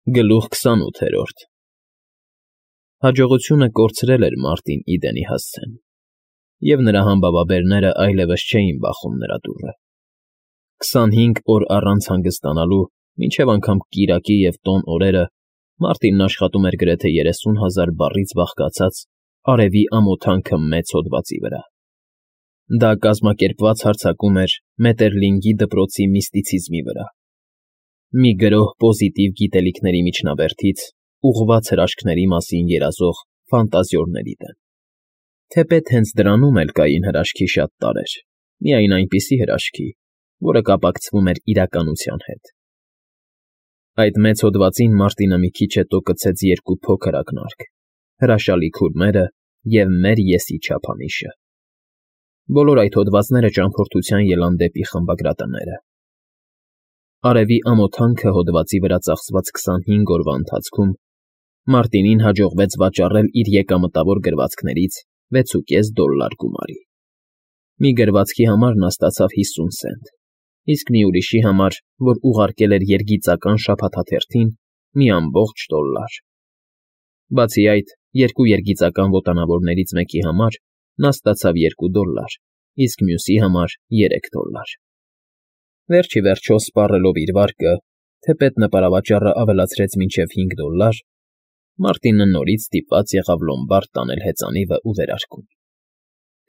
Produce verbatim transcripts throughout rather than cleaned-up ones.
Գլուխ քսանութերորդ Հաջողությունը կորցրել էր մարտին Իդենի հասցեն, և նրա համբավաբերները այլևս չէին բախում նրա դուռը. քսանհինգ օր առանց հանգստանալու, մինչև անգամ կիրակի և տոն օրերը Մարտինն աշխատում էր գրեթե երեսուն հազար բառից բաղկացած արևի ամոթանքը մեծ հոդվածի վրա. դա կազմակերպված հարձակում էր Մետերլինգի դպրոցի միստիցիզմի վրա, մի գրոհ պոզիտիվ գիտելիքների միջնաբերդից ուղղված հրաշքների մասին երազող ֆանտազիորների դեմ, թեպետ հենց դրանում էլ կային հրաշքի շատ տարրեր, միայն այնպիսի հրաշքի, որը կապակցվում էր իրականության հետ. Այդ մեծ հոդվածին Մարտինը մի քիչ հետո կցեց երկու փոքր ակնարկ՝ հրաշալի քուրմերը և մեր Եսի չափանիշը. բոլոր այդ հոդվածները ճամփորդության ելան դեպի խմբագրատները։ Արևի ամոթանքը հոդվածի վրա ծախսված քսանհինգ օրվա ընթացքում Մարտինին հաջողվեց վաճառել իր եկամտավոր գրվածքներից վեցուկես դոլլար գումարի։ Մի գրվածքի համար նա ստացավ հիսուն սենտ, իսկ մի ուրիշի համար, որ ուղարկել էր երգիծական շաբաթաթերթին, մի ամբողջ դոլլար։ Բացի այդ, երկու երգիծական ոտանավորներից մեկի համար նա ստացավ երկու դոլլար, իսկ մյուսի համար երեք դոլլար։ Վերջ ի վերջո, սպառելով իր վարկը, թեպետ նպարավաճառը ավելացրեց մինչև հինգ դոլլար, Մարտինը նորից ստիպված եղավ լոմբարդ տանել հեծանիվը ու վերարկուն։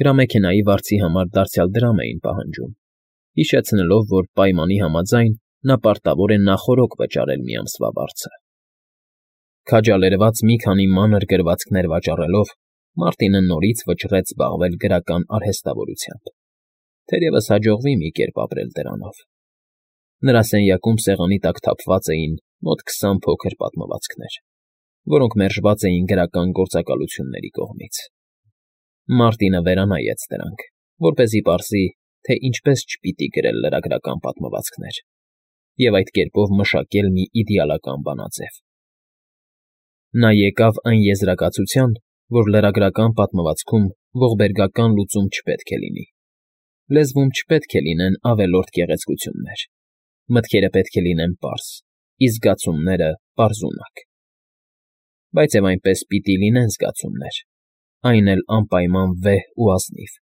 Գրամեքենայի վարձի համար դարձյալ դրամ էին պահանջում, հիշեցնելով, որ պայմանի համաձայն նա պարտավոր է նախօրոք վճարել մի ամսվա վարձը։ Քաջալերված մի քանի մանր գրվածքներ վաճառելով, Մարտինը նորից վճռեց զբաղվել գրական արհեստավորությամբ, թերևս հաջողվի մի կերպ ապրել դրանով։ Նրա սենյակում սեղանի տակ թափված էին մոտ քսան փոքր պատմվածքներ, որոնք մերժված էին գրական գործակալությունների կողմից։ Մարտինը վերանայեց դրանք, որպեսզի պարզի, թե ինչպես չպիտի գրել լրագրական պատմվածքներ և այդ կերպով մշակել մի իդեալական բանաձև։ Նա եկավ այն եզրակացության, որ լրագրական պատմվածքում ողբերգական լուծում չպետք է լինի, լեզվում չպետք է լինեն ավելորդ գեղեցկություններ, մտքերը պետք է լինեն պարզ, իսկ զգացումները պարզունակ։ Բայց և այնպես պիտի լինեն զգացումներ, այն էլ անպայման վեհ ու ազնիվ,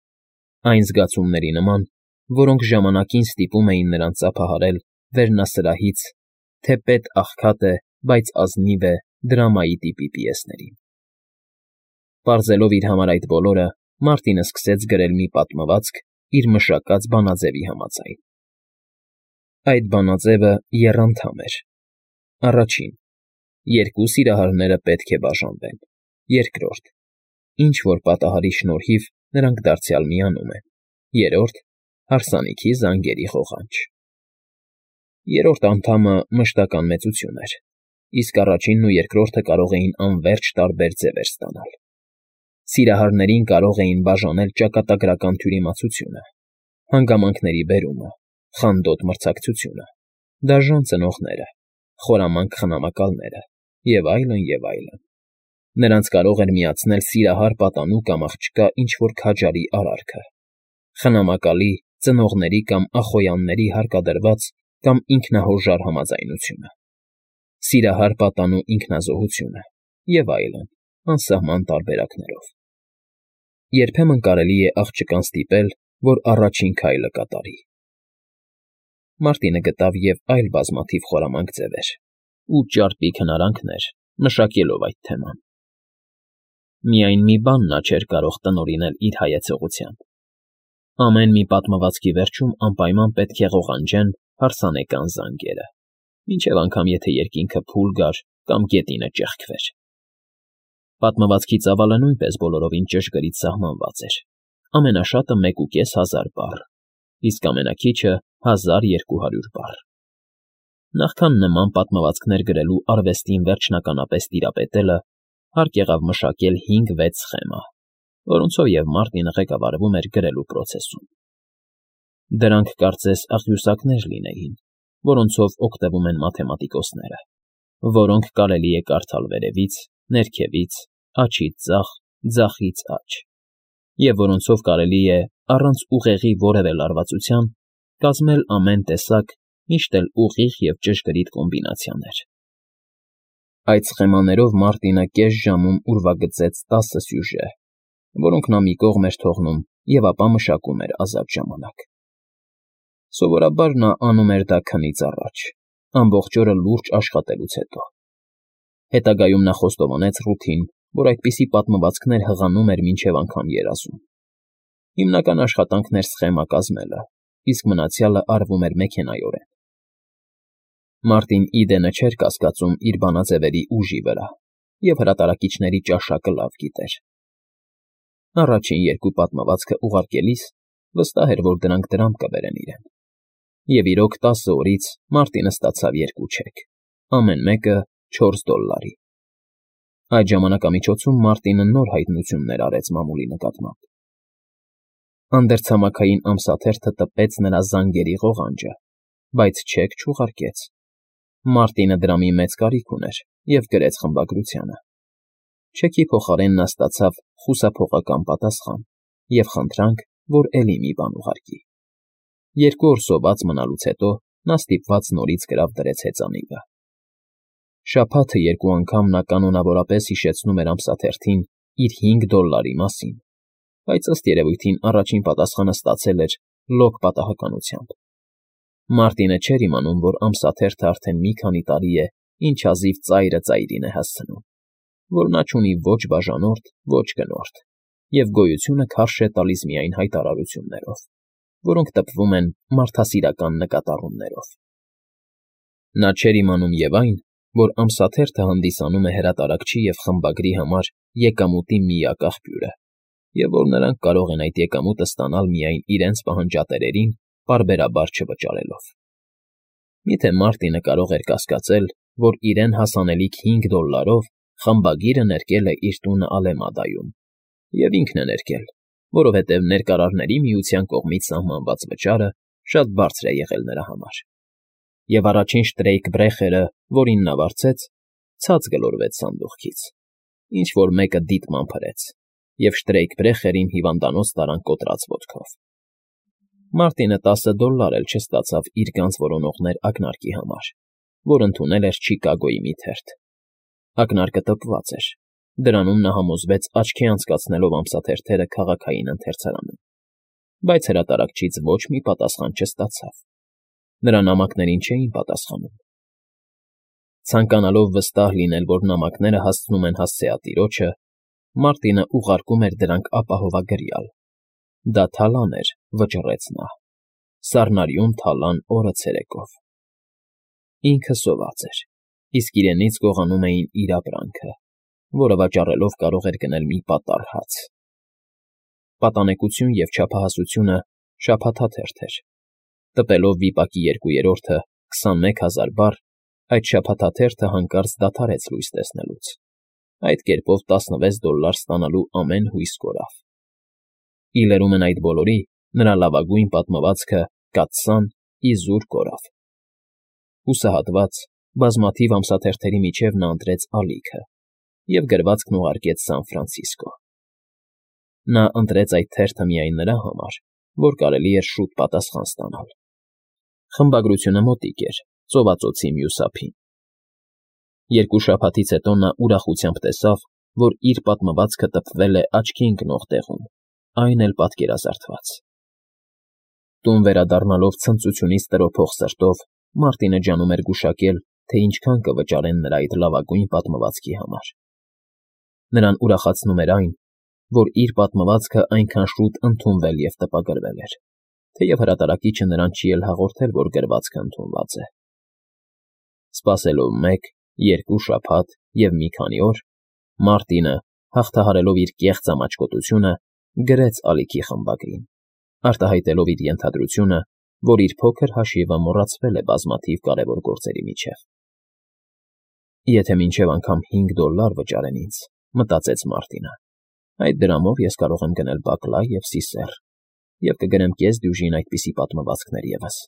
այն զգացումների նման, որոնք ժամանակին ստիպում էին նրան ծափահարել վերնասրահից «Թեպետ աղքատ է, բայց ազնիվ է» դրամայի տիպի պիեսներին։ Պարզելով իր համար այդ բոլորը, Մարտինը սկսեց գրել մի պատմվածք իր մշակած բանաձևի համաձայն։ Այդ բանաձևը եռանդամ էր. Առաջին. երկու սիրահարները պետք է բաժանվեն։ Երկրորդ. ինչ֊որ պատահարի շնորհիվ նրանք դարձյալ միանում են։ Երրորդ. հարսանիքի զանգերի ղողանջ։ Երրորդ անդամը մշտական մեծություն էր, իսկ առաջինն ու երկրորդը կարող էին անվերջ տարբեր ձևեր ստանալ։ Սիրահարներին կարող էին բաժանել ճակատագրական թյուրիմացությունը, հանգամանքների բերումը, խանդոտ մրցակցությունը, դաժան ծնողները, խորամանկ խնամակալները և այլն, և այլն։ Նրանց կարող էր միացնել սիրահար պատանու կամ աղջկա ինչ֊որ քաջարի արարքը, խնամակալի, ծնողների կամ ախոյանների հարկադրված կամ ինքնահորժար համաձայնությունը, սիրահար պատանու ինքնազոհությունը և այլն, անսահման տարբերակներով։ Երբեմն կարելի է աղջկան ստիպել, որ առաջին քայլը կատարի։ Մարտինը գտավ և այլ բազմաթիվ խորամանկ ձևեր ու ճարպիկ հնարանքներ, մշակելով այդ թեման։ Միայն մի բան նա չէր կարող տնօրինել իր հայեցողությամբ. ամեն մի պատմվածքի վերջում անպայման պետք է ղողանջեն հարսանեկան զանգերը, մինչև անգամ եթե երկինքը փուլ գար կամ գետինը ճեղքվեր։ Պատմվածքի ծավալը նույնպես բոլորովին ճշգրիտ սահմանված էր, ամենաշատը մեկուկես հազար բառ, իսկ ամենաքիչը հազար երկու հարյուր բառ։ Նախքան նման պատմվածքներ գրելու արվեստին վերջնականապես տիրապետելը, հարկ եղավ մշակել հինգ֊վեց սխեմա, որոնցով և Մարտինը ղեկավարվում էր գրելու պրոցեսում։ Դրանք կարծես աղյուսակներ լինեին, որոնցով օգտվում են մաթեմատիկոսները, որոնք կարելի է կարդալ վերևից, ներքևից, աջից ձախ, ձախից աջ, և որոնցով կարելի է, առանց ուղեղի որևէ լարվածության, կազմել ամեն տեսակ, միշտ էլ ուղիղ և ճշգրիտ կոմբինացիաներ։ Այդ սխեմաներով Մարտինը կես ժամում ուրվագծեց տասը սյուժե, որոնք նա մի կողմ էր թողնում և ապա մշակում էր ազատ ժամանակ։ Սովորաբար նա անում էր դա քնից առաջ, ամբողջ օրը լուրջ աշխատելուց հետո։ Հետագայում նա խոստովանեց Ռութին, որ այդպիսի պատմվածքներ հղանում էր մինչև անգամ երազում։ Հիմնական աշխատանքն էր սխեմա կազմելը, իսկ մնացյալը արվում էր մեքենայորեն։ Մարտին Իդենը չէր կասկածում իր բանաձևերի ուժի վրա և հրատարակիչների ճաշակը լավ գիտեր։ Առաջին երկու պատմվածքը ուղարկելիս վստահ էր, որ դրանք դրամ կբերեն իրեն։ Եվ իրոք տասը օրից Մարտինը ստացավ երկու չեք, ամեն մեկը չորս դոլլարի։ Այդ ժամանակամիջոցում Մարտինը նոր հայտնություններ արեց մամուլի նկատմամբ։ Անդերցամաքային ամսաթերթը տպեց նրա զանգերի ղողանջը, բայց չեք չուղարկեց։ Մարտինը դրամի մեծ կարիք ուներ և գրեց խմբագրությանը։ Չեքի փոխարեն նա ստացավ խուսափողական պատասխան և խնդրանք, որ էլի մի բան ուղարկի։ Երկու օր սոված մնալուց հետո նա ստիպված նորից գրավ դրեց հեծանիվը։ Շաբաթը երկու անգամ նա կանոնավորապես հիշեցնում էր ամսաթերթին իր հինգ դոլլարի մասին, բայց ըստ երևույթին առաջին պատասխանը ստացել էր լոկ պատահականությամբ։ Մարտինը չէր իմանում, որ ամսաթերթը արդեն մի քանի տարի է, ինչ հազիվ ծայրը ծայրին է հասցնում, որ նա չունի ոչ բաժանորդ, ոչ գնորդ, և գոյությունը քարշ է տալիս միայն հայտարարություններով, որոնք տպվում են մարդասիրական նկատառումներով։ Նա չէր իմանում և այն, որ ամսաթերթը հանդիսանում է հրատարակչի և խմբագրի համար եկամուտի միակ աղբյուրը, և որ նրանք կարող են այդ եկամուտը ստանալ միայն իրենց պահանջատերերին պարբերաբար չվճարելով։ Միթե Մարտինը կարող էր կասկածել, որ իրեն հասանելիք հինգ դոլլարով խմբագիրը ներկել է իր տունը Ալեմադայում, և ինքն է ներկել, որովհետև Ներկարարների Միության կողմից սահմանված վճարը շատ բարձր է եղել նրա համար։ Եվ առաջին շտրեյք֊բրեխերը, որին նա վարձեց, ցած գլորվեց սանդուղքից, ինչ֊որ մեկը դիտմամբ հրեց, և շտրեյք֊բրեխերին հիվանդանոց տարան կոտրած ոտքով։ Մարտինը տասը դոլլար էլ չստացավ իր գանձ որոնողներ ակնարկի համար, որ ընդունել էր Չիկագոյի մի թերթ։ Ակնարկը տպված էր, դրանում նա համոզվեց աչքի անցկացնելով ամսաթերթերը քաղաքային ընթերցարանում, բայց հրատարակչից ոչ մի պատասխան չստացավ։ Նրա նամակներին չէին պատասխանում։ Ցանկանալով վստահ լինել, որ նամակները հասցնում են հասցեատիրոջը, Մարտինը ուղարկում էր դրանք ապահովագրյալ։ Դա թալան էր, վճռեց նա, սառնարյուն թալան օրը ցերեկով։ Ինքը սոված էր, իսկ իրենից գողանում էին իր ապրանքը, որը վաճառելով կարող էր գնել մի պատառ հաց։ Պատանեկություն և չափահասությունը շաբաթաթերթ էր։ Տպելով վիպակի երկուերորդը քսանմեկ հազար բառ, այդ շաբաթաթերթը հանկարծ դադարեց լույս տեսնելուց։ Այդ կերպով տասնվեց դոլլար ստանալու ամեն հույս կորավ։ Ի լրումն այդ բոլորի, նրա լավագույն պատմվածքը Կաթսան իզուր կորավ։ Հուսահատված, բազմաթիվ ամսաթերթերի միջև նա ընտրեց ալիքը և գրվածքն ուղարկեց Սան Ֆրանցիսկո։ Նա ընտրեց այդ թերթը միայն նրա համար, որ կարելի էր շուտ պատասխան ստանալ։ Խմբագրությունը մոտիկ էր, ծովածոցի մյուս ափին։ Երկու շաբաթից հետո նա ուրախությամբ տեսավ, որ իր պատմվածքը տպվել է աչքի ընկնող տեղում, այն էլ պատկերազարդված։ Տուն վերադառնալով ցնծությունից տրոփող սրտով, Մարտինը ջանում էր գուշակել, թե ինչքան կվճարեն նրա այդ լավագույն պատմվածքի համար։ Նրան ուրախացնում էր այն, որ իր պատմվածքը այնքան շուտ ընդունվել և տպագրվել էր, թեև հրատարակիչը նրան չի էլ հաղորդել, որ գրվածքը ընդունված է։ Սպասելով մեկ, երկու շաբաթ և մի քանի օր, Մարտինը, հաղթահարելով իր կեղծ ամաչկոտությունը, գրեց ալիքի խմբագրին, արտահայտելով իր ենթադրությունը, որ իր փոքր հաշիվը մոռացվել է բազմաթիվ կարևոր գործերի միջև։ Եթե մինչև անգամ հինգ դոլլար վճարեն ինձ, մտածեց Մարտինը, այդ դրամով ես կարող եմ գնել բակլա և սիսեռ և կգրեմ կես դյուժին այդպիսի պատմվածքներ ևս։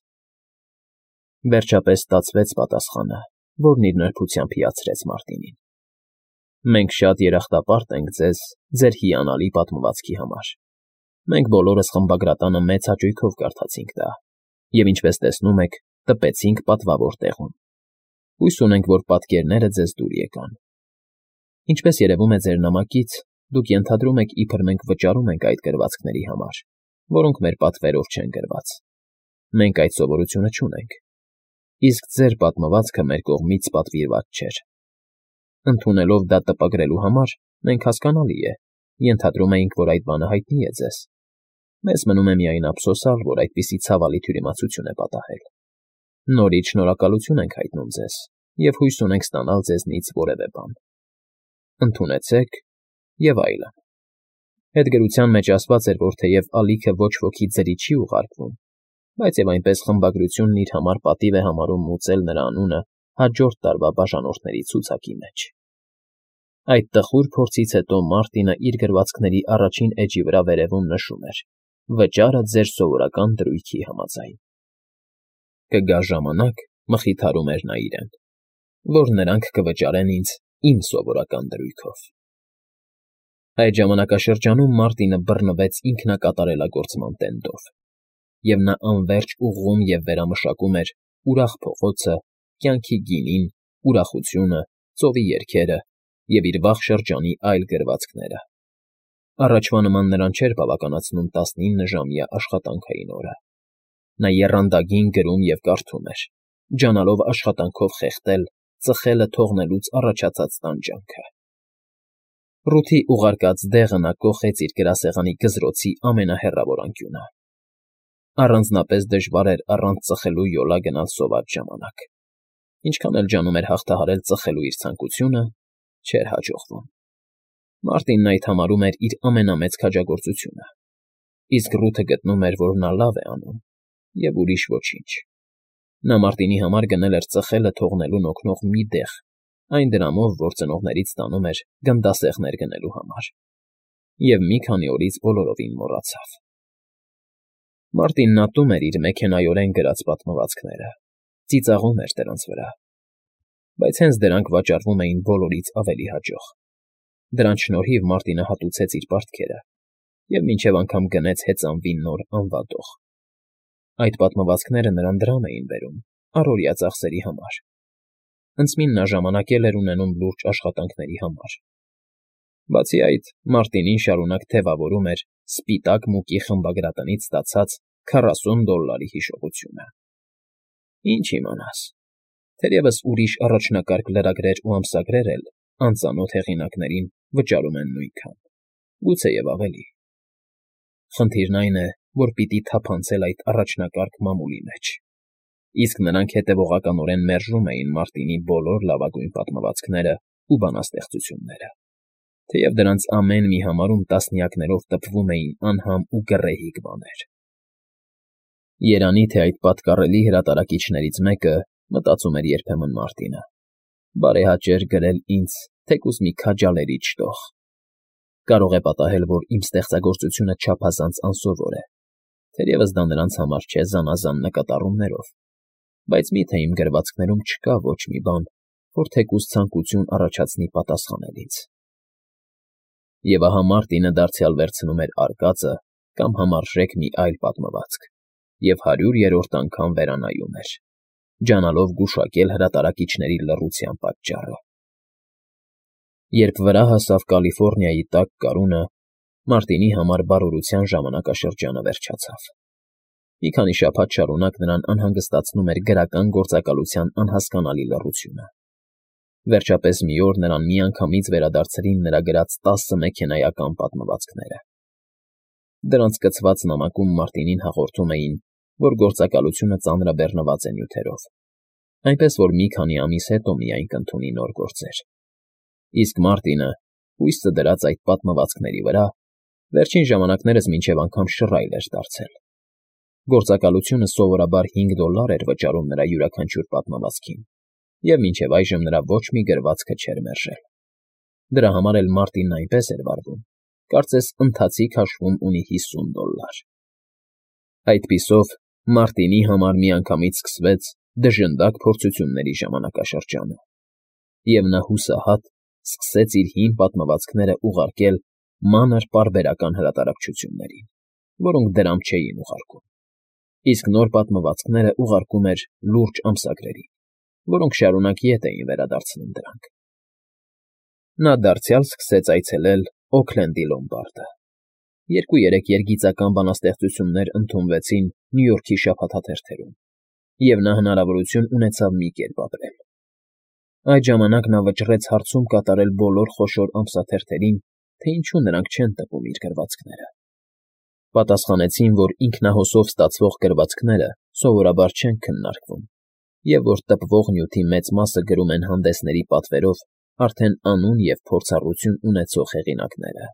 Վերջապես ստացվեց պատասխանը, որն իր նրբությամբ հիացրեց Մարտինին։ Մենք շատ երախտապարտ ենք ձեզ ձեր հիանալի պատմվածքի համար։ Մենք բոլորս խմբագրատանը մեծ հաճույքով կարդացինք դա, և ինչպես տեսնում եք, տպեցինք պատվավոր տեղում։ Հույս ունենք, որ պատկերները ձեզ դուր եկան։ Ինչպես երևում է ձեր նամակից, դուք ենթադրում եք, իբր մենք վճարում ենք այդ գրվածքների համար, որոնք մեր պատվերով չեն գրված։ Մենք այդ սովորությունը չունենք, իսկ ձեր պատմվածքը մեր կողմից պատվիրված չէր։ Ընդունելով դա տպագրելու համար, մենք, հասկանալի է, ենթադրում էինք, որ այդ բանը հայտնի է ձեզ։ Մեզ մնում է միայն ափսոսալ, որ այդպիսի ցավալի թյուրիմացություն է պատահել։ Նորից շնորհակալություն ենք հայտնում ձեզ և հույս ունենք ստանալ ձեզնից որևէ բան։ Ընդունեցեք և այլն։ Հետգրության մեջ ասված էր, որ թեև ալիքը ոչ ոքի ձրի չի ուղարկվում, բայց և այնպես խմբագրությունն իր համար պատիվ է համարում մուծել նրա անունը հաջորդ տարվա բաժանորդների ցուցակի մեջ։ Այդ տխուր փորձից հետո Մարտինը իր գրվածքների առաջին էջի վրա վերևում նշում էր. «Վճարը ձեր սովորական դրույթի համաձայն»։ «Կգա ժամանակ,֊ մխիթարում էր նա իրեն,֊ որ նրանք կվճարեն ինձ իմ սովորական դրույթով»։ Այդ ժամանակաշրջանում Մարտինը բռնվեց ինքնակատարելագործման տենդով, և նա անվերջ ուղղում և վերամշակում էր ուրախ փողոցը, կյանքի գինին, ուրախությունը, ծովի երգերը և իր վաղ շրջանի այլ գրվածքները։ Առաջվա նման նրան չէր բավականացնում տասնիննժամյա աշխատանքային օրը։ Նա եռանդագին գրում և կարդում էր, ջանալով աշխատանքով խեղդել ծխելը թողնելուց առաջացած տանջանքը։ Ռութի ուղարկած դեղը նա կոխեց իր գրասեղանի գզրոցի ամենահեռավոր անկյունը։ Առանձնապես դժվար էր առանց ծխելու յոլա գնալ սոված ժամանակ։ Ինչքան էլ ջանում էր հաղթահարել ծխելու իր ցանկությունը, չէր հաջողվում։ Մարտինն այդ համարում էր իր ամենամեծ քաջագործությունը, իսկ Ռութը գտնում էր, որ նա լավ է անում, և ուրիշ ոչինչ։ Նա Մարտինի համար գնել էր ծխելը թողնելուն օգնող մի դեղ, այն դրամով, որ ծնողներից ստանում էր գնդասեղներ գնելու համար, և մի քանի օրից բոլորովին մոռացավ։ Մարտինն ատում էր իր մեքենայորեն գրած պատմվածքները, ծիծաղում էր դրանց վրա, բայց հենց դրանք վաճառվում էին բոլորից ավելի հաջող։ Դրանց շնորհիվ Մարտինը հատուցեց իր պարտքերը և մինչև անգամ գնեց հեծանվի նոր անվադող։ Այդ պատմվածքները նրան դրամ էին բերում առօրյա ծախսերի համար։ Հնձմին նա ժամանակ էլ էր ունենում լուրջ աշխատանքների համար։ Բացի այդ, Մարտինին շարունակ թևավորում էր սպիտակ մուկի խմբագրատնից ստացած քառասուն դոլլարի հիշողությունը։ Ինչ իմանաս, թերևս ուրիշ առաջնակարգ լրագրեր ու ամսագրեր էլ անծանոթ հեղինակներին վճարում են նույնքան, գուցեև ավելի։ Խնդիրն այն է, որ պիտի թափանցել այդ առաջնակարգ մամուլի մեջ, իսկ նրանք հետևողականորեն մերժում էին Մարտինի բոլոր լավագույն պատմվածքները ու բանաստեղծությունները, թեև դրանց ամեն մի համարում տասնյակներով տպվում էին անհամ ու գռեհիկ բաներ։ Երանի թե այդ պատկառելի հրատարակիչներից մեկը, մտածում էր երբեմն Մարտինը, բարեհաճեր գրել ինձ թեկուզ մի քաջալերիչ տող։ Կարող է պատահել, որ իմ ստեղծագործությունը չափազանց անսովոր է, թերևս դա նրանց համար չէ զանազան նկատառումներով, բայց մի՞թե իմ գրվածքներում չկա ոչ մի բան, որ թեկուզ ցանկություն առաջացնի պատասխանել ինձ։ Եվ ահա Մարտինը դարձյալ վերցնում էր արկածը կամ համարժեք մի այլ պատմվածք և հարյուրերորդ անգամ վերանայում էր, ջանալով գուշակել հրատարակիչների լռության պատճառը։ Երբ վրա հասավ Կալիֆոռնիայի տաք կարունը, Մարտինի համար բարօրության ժամանակաշրջանը վերջացավ։ Մի քանի շաբաթ շարունակ նրան անհանգստացնում էր գրական գործակալության անհասկանալի լռությունը։ Վերջապես մի օր նրան միանգամից վերադարձրին նրա գրած տասը մեքենայական պատմվածքները։ Դրանց կցված նամակում Մարտինին հաղորդում էին, որ գործակալությունը ծանրաբեռնված է նյութերով, այնպես որ մի քանի ամիս հետո միայն կընդունի նոր գործեր։ Իսկ Մարտինը, հույսը դրած այդ պատմվածքների վրա, վերջին ժամանակներս մինչև անգամ շռայլ էր դարձել։ Գործակալությունը սովորաբար հինգ դոլլար էր վճարում նրա յուրաքանչյուր պատմվածքին, և մինչև այժմ նրա ոչ մի գրվածքը չէր մերժել։ Դրա համար էլ Մարտինն այնպես էր վարվում, կարծես ընթացիկ հաշվում ունի հիսուն դոլլար։ Այդպիսով Մարտինի համար միանգամից սկսվեց դժնդակ փորձությունների ժամանակաշրջանը, և նա հուսահատ սկսեց իր հին պատմվածքները ուղարկել մանր պարբերական հրատարակչություններին, որոնք դրամ չէին ուղարկում, իսկ նոր պատմվածքները ուղարկում էր լուրջ ամսագրերին, որոնք շարունակ ետ էին վերադարձնում դրանք։ Նա դարձյալ սկսեց այցելել Օքլենդի լոմբարդը։ Երկու֊երեք երգիծական բանաստեղծություններ ընդունվեցին Նյու Յորքի շաբաթաթերթերում, և նա հնարավորություն ունեցավ մի կերպ ապրել։ Այդ ժամանակ նա վճռեց հարցում կատարել բոլոր խոշոր ամսաթերթերին, թե ինչու նրանք չեն տպում իր գրվածքները։ Պատասխանեցին, որ ինքնահոսով ստացվող գրվածքները սովորաբար չեն քննարկվում, և որ տպվող նյութի մեծ մասը գրում են հանդեսների պատվերով արդեն անուն և փորձառություն ունեցող հեղինակները։